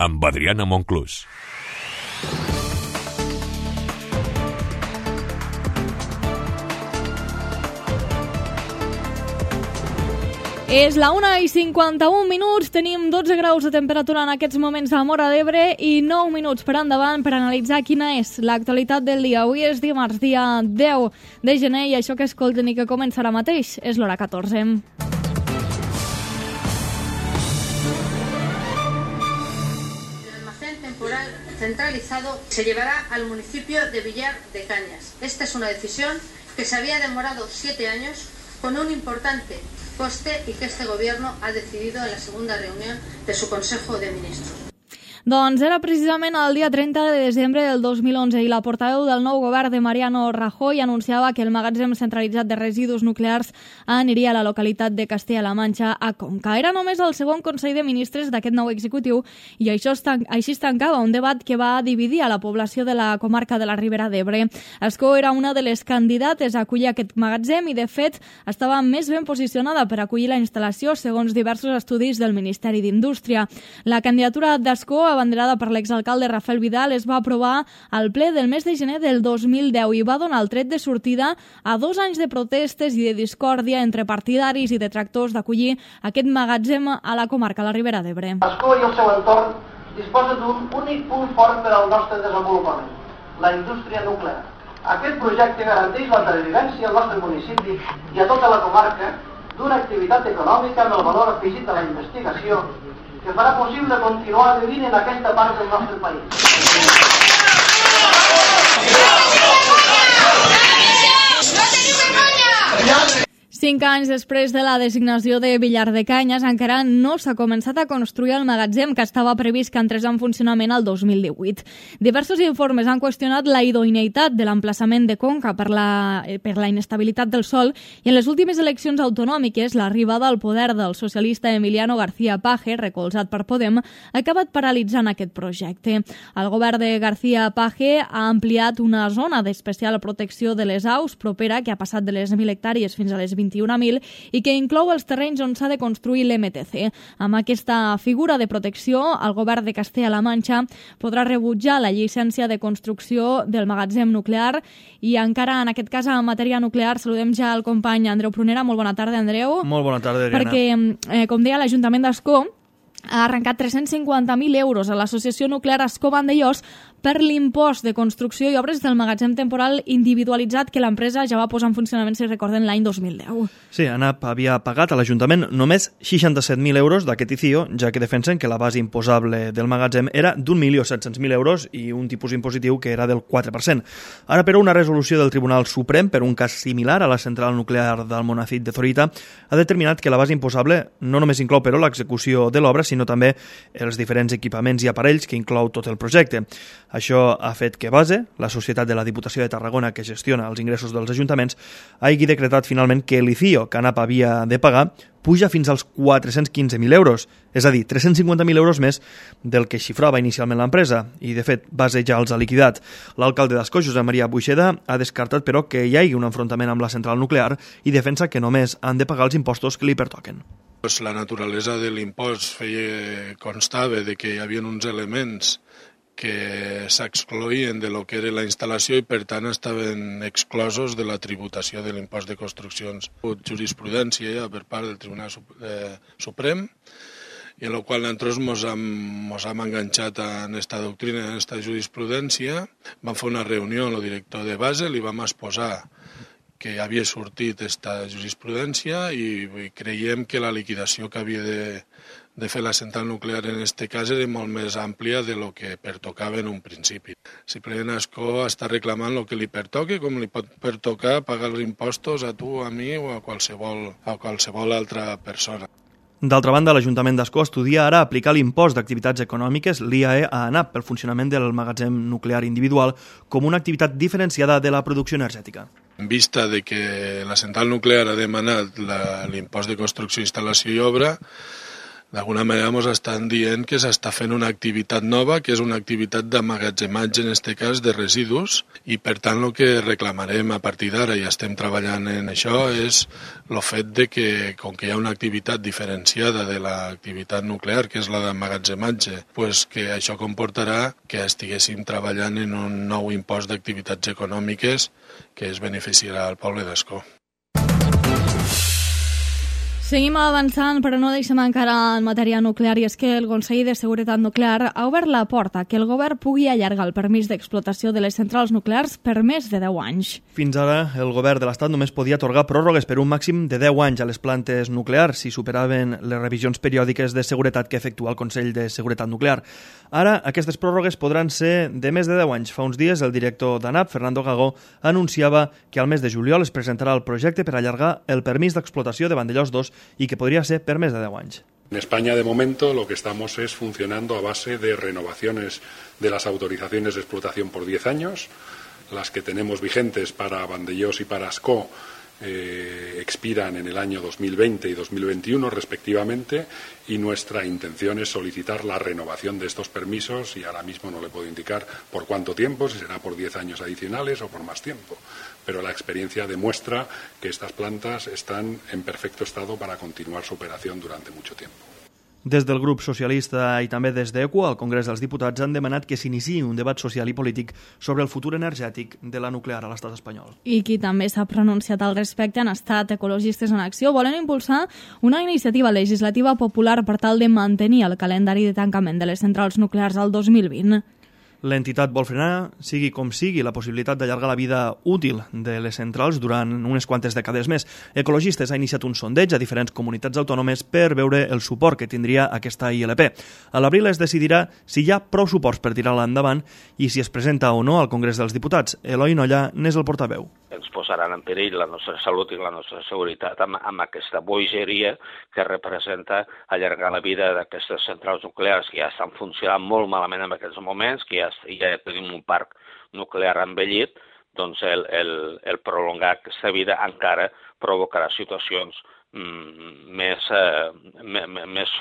amb Adriana Monclús. És la 1:51, tenim 12 graus de temperatura en aquests moments a Móra d'Ebre i 9 minuts per endavant per analitzar quina és l'actualitat del dia. Avui és dimarts, dia 10 de gener, i això que escolten i que comença ara mateix és l'hora 14. El almacén temporal centralizado se llevará al municipio de Villar de Cañas. Esta es una decisión que se había demorado 7 años con un importante coste y que este gobierno ha decidido en la segunda reunión de su Consejo de Ministros. Doncs era precisament el dia 30 de desembre del 2011 i la portaveu del nou govern de Mariano Rajoy anunciava que el magatzem centralitzat de residus nuclears aniria a la localitat de Castella-La Manxa, a Conca. Era només el segon Consell de Ministres d'aquest nou executiu i així es tancava un debat que va dividir a la població de la comarca de la Ribera d'Ebre. Ascó era una de les candidates a acollir aquest magatzem i, de fet, estava més ben posicionada per acollir la instal·lació segons diversos estudis del Ministeri d'Indústria. La candidatura d'Ascó, abanderada per l'exalcalde Rafael Vidal, es va aprovar al ple del mes de gener del 2010 i va donar el tret de sortida a 2 anys de protestes i de discòrdia entre partidaris i detractors d'acollir aquest magatzem a la comarca de la Ribera d'Ebre. Ascó i el seu entorn disposa d'un únic punt fort per al nostre desenvolupament, la indústria nuclear. Aquest projecte garanteix la pervivència al nostre municipi i a tota la comarca d'una activitat econòmica amb el valor afegit de la investigació que farà possible continuar vivint en aquesta part del nostre país. 5 anys després de la designació de Villar de Cañas, encara no s'ha començat a construir el magatzem que estava previst que entrés en funcionament el 2018. Diversos informes han qüestionat la idoneïtat de l'emplaçament de Conca per la inestabilitat del sòl i en les últimes eleccions autonòmiques l'arribada al poder del socialista Emiliano García Paje, recolzat per Podem, ha acabat paralitzant aquest projecte. El govern de García Paje ha ampliat una zona d'especial protecció de les aus propera que ha passat de les 1.000 hectàrees fins a les 21.000 i que inclou els terrenys on s'ha de construir l'MTC. Amb aquesta figura de protecció, el govern de Castella-La Manxa podrà rebutjar la llicència de construcció del magatzem nuclear i encara, en aquest cas, en matèria nuclear, saludem ja el company Andreu Prunera. Molt bona tarda, Andreu. Molt bona tarda, Adriana. Perquè, com deia, l'Ajuntament d'Ascó ha arrencat 350.000 euros a l'Associació Nuclear Ascó Vandellòs per l'impost de construcció i obres del magatzem temporal individualitzat que l'empresa ja va posar en funcionament, si recorden, l'any 2010. Sí, ANAP havia pagat a l'Ajuntament només 67.000 euros d'aquest ICIO, ja que defensen que la base imposable del magatzem era d'1.700.000 euros i un tipus impositiu que era del 4%. Ara, però, una resolució del Tribunal Suprem per un cas similar a la central nuclear d'Almonacid de Zorita ha determinat que la base imposable no només inclou, però, l'execució de l'obra, sinó també els diferents equipaments i aparells que inclou tot el projecte. Això ha fet que Base, la societat de la Diputació de Tarragona que gestiona els ingressos dels ajuntaments, hagi decretat finalment que l'ICIO que ANAP havia de pagar puja fins als 415.000 euros, és a dir, 350.000 euros més del que xifrava inicialment l'empresa, i de fet Base ja els ha liquidat. L'alcalde d'Ascó, Josep Maria Buixeda, ha descartat però que hi hagi un enfrontament amb la central nuclear i defensa que només han de pagar els impostos que li pertoquen. La naturalesa de l'impost constava de que hi havia uns elements que s'excloïen de lo que era la instal·lació i, per tant, estaven exclosos de la tributació de l'impost de construccions. Jurisprudència ja per part del Tribunal Suprem, i en la qual nosaltres ens hem enganxat en aquesta doctrina, en aquesta jurisprudència. Vam fer una reunió amb el director de Base, li vam exposar que havia sortit aquesta jurisprudència i creiem que la liquidació que havia de fer la central nuclear en aquest cas era molt més àmplia de lo que pertocava en un principi. Simplement Ascó està reclamant el que li pertoca, com li pot pertocar pagar els impostos a tu, a mi o a qualsevol altra persona. D'altra banda, l'Ajuntament d'Ascó estudia ara aplicar l'impost d'activitats econòmiques, l'IAE, a ANAP pel funcionament del magatzem nuclear individual com una activitat diferenciada de la producció energètica. En vista de que la central nuclear ha demanat l'impost de construcció, instal·lació i obra, D'alguna manera ens estan dient que s'està fent una activitat nova, que és una activitat d'emmagatzematge, en aquest cas, de residus, i per tant el que reclamarem a partir d'ara, i estem treballant en això, és el fet de que, com que hi ha una activitat diferenciada de l'activitat nuclear, que és la d'emmagatzematge, pues que això comportarà que estiguéssim treballant en un nou impost d'activitats econòmiques que es beneficiarà al poble d'Ascó. Seguim avançant, però no deixem encara en matèria nuclear, i és que el Consell de Seguretat Nuclear ha obert la porta que el govern pugui allargar el permís d'explotació de les centrals nuclears per més de 10 anys. Fins ara, el govern de l'Estat només podia atorgar pròrrogues per un màxim de 10 anys a les plantes nuclears si superaven les revisions periòdiques de seguretat que efectua el Consell de Seguretat Nuclear. Ara, aquestes pròrrogues podran ser de més de 10 anys. Fa uns dies, el director d'ANAP, Fernando Gago, anunciava que al mes de juliol es presentarà el projecte per allargar el permís d'explotació de Vandellós 2 y que podría ser per més de 10 anys. En España, de momento, lo que estamos es funcionando a base de renovaciones de las autorizaciones de explotación por 10 años. Las que tenemos vigentes para Vandellós y para Ascó expiran en el año 2020 y 2021 respectivamente, y nuestra intención es solicitar la renovación de estos permisos, y ahora mismo no le puedo indicar por cuánto tiempo, si será por 10 años adicionales o por más tiempo, pero la experiencia demuestra que estas plantas están en perfecto estado para continuar su operación durante mucho tiempo. Des del grup socialista i també des d'ECO, al Congrés dels Diputats han demanat que s'iniciï un debat social i polític sobre el futur energètic de la nuclear a l'estat espanyol. I qui també s'ha pronunciat al respecte han estat Ecologistes en Acció. Volen impulsar una iniciativa legislativa popular per tal de mantenir el calendari de tancament de les centrals nuclears al 2020. L'entitat vol frenar, sigui com sigui, la possibilitat d'allargar la vida útil de les centrals durant unes quantes dècades més. Ecologistes ha iniciat un sondeig a diferents comunitats autònomes per veure el suport que tindria aquesta ILP. A l'abril es decidirà si hi ha prou suports per tirar-la endavant i si es presenta o no al Congrés dels Diputats. Eloi Nolla n'és el portaveu. Ens posaran en perill la nostra salut i la nostra seguretat amb aquesta bogeria que representa allargar la vida d'aquestes centrals nuclears que ja estan funcionant molt malament en aquests moments, que ja tenim un parc nuclear envellit. Doncs el prolongar aquesta vida encara provocarà situacions més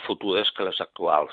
futures que les actuals.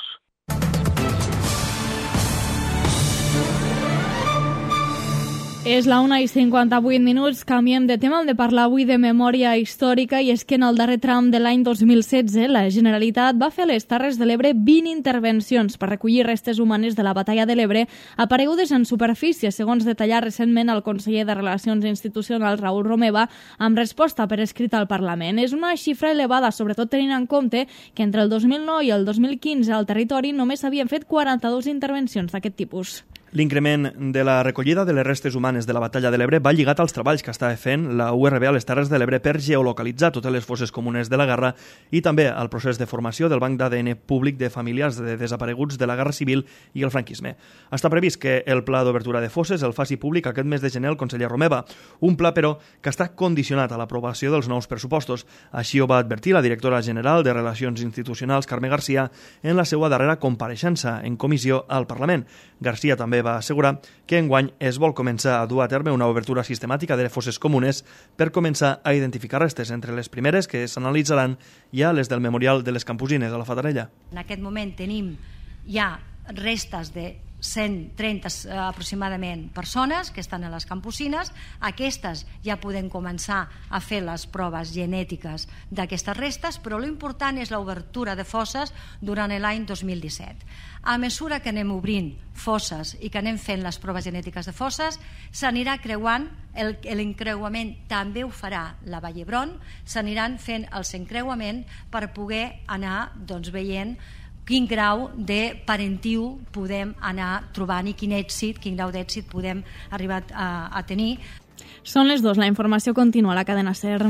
És la 1:58. Canviem de tema. Hem de parlar avui de memòria històrica, i és que en el darrer tram de l'any 2016 la Generalitat va fer a les Terres de l'Ebre 20 intervencions per recollir restes humanes de la batalla de l'Ebre aparegudes en superfície, segons detallar recentment el conseller de Relacions Institucionals, Raül Romeva, amb resposta per escrit al Parlament. És una xifra elevada, sobretot tenint en compte que entre el 2009 i el 2015 al territori només s'havien fet 42 intervencions d'aquest tipus. L'increment de la recollida de les restes humanes de la batalla de l'Ebre va lligat als treballs que estava fent la URB a les Terres de l'Ebre per geolocalitzar totes les fosses comunes de la guerra i també al procés de formació del Banc d'ADN públic de familiars de desapareguts de la Guerra Civil i el franquisme. Està previst que el pla d'obertura de fosses el faci públic aquest mes de gener el conseller Romeva, un pla, però, que està condicionat a l'aprovació dels nous pressupostos. Així ho va advertir la directora general de Relacions Institucionals, Carme Garcia, en la seva darrera compareixença en comissió al Parlament. Garcia també va assegurar que enguany es vol començar a dur a terme una obertura sistemàtica de fosses comunes per començar a identificar restes. Entre les primeres que s'analitzaran hi ha les del Memorial de les Campusines a la Fatarella. En aquest moment tenim ja restes de 130 aproximadament persones que estan a les campusines. Aquestes ja podem començar a fer les proves genètiques d'aquestes restes, però l'important és l'obertura de fosses durant l'any 2017. A mesura que anem obrint fosses i que anem fent les proves genètiques de fosses, s'anirà creuant, l'encreuament també ho farà la Vall d'Hebron, s'aniran fent els encreuaments per poder anar veient quin grau de parentiu podem anar trobant i quin grau d'èxit podem arribar a tenir. Són les 2, la informació continua a la cadena SER.